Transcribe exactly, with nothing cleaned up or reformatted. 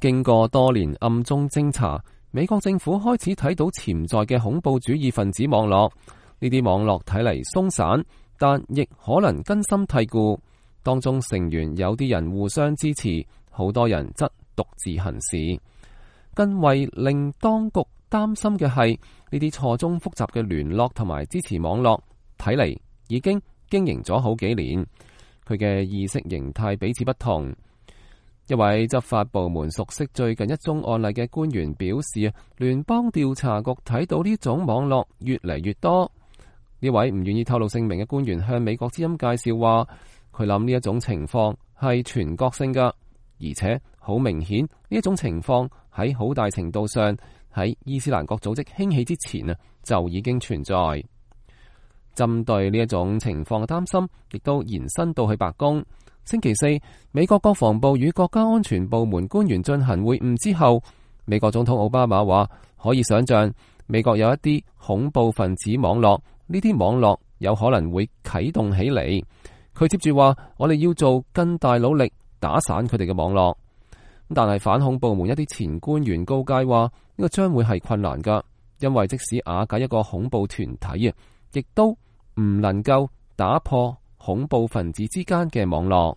經過多年暗中偵查，美國政府開始睇到潛在嘅恐怖主義分子網絡。呢啲網絡睇嚟鬆散，但亦可能根深蒂固。當中成員有啲人互相支持，好多人則獨自行事。更為令當局擔心嘅係，呢啲錯綜複雜嘅聯絡同埋支持網絡，睇嚟已經經營咗好幾年。佢嘅意識形態彼此不同。一位執法部門熟悉最近一宗案例嘅官員表示，聯邦調查局睇到呢種網絡越嚟越多。呢位唔願意透露姓名嘅官員向美國之音介紹話，佢諗呢一種情況係全國性噶，而且好明顯呢一種情況喺好大程度上喺伊斯蘭國組織興起之前啊就已經存在。針對呢一種情況嘅擔心，亦都延伸到去白宮。星期四，美國國防部與國家安全部門官員進行會晤之後，美國總統奧巴馬話可以想象美國有一啲恐怖分子網絡，呢啲網絡有可能會啟動起嚟。佢接住話，我哋要做更大努力打散佢哋嘅網絡。但係反恐部門一啲前官員告誡話，呢個將會係困難噶，因為即使瓦解一個恐怖團體啊，亦都唔能夠打破恐怖分子之間嘅網絡。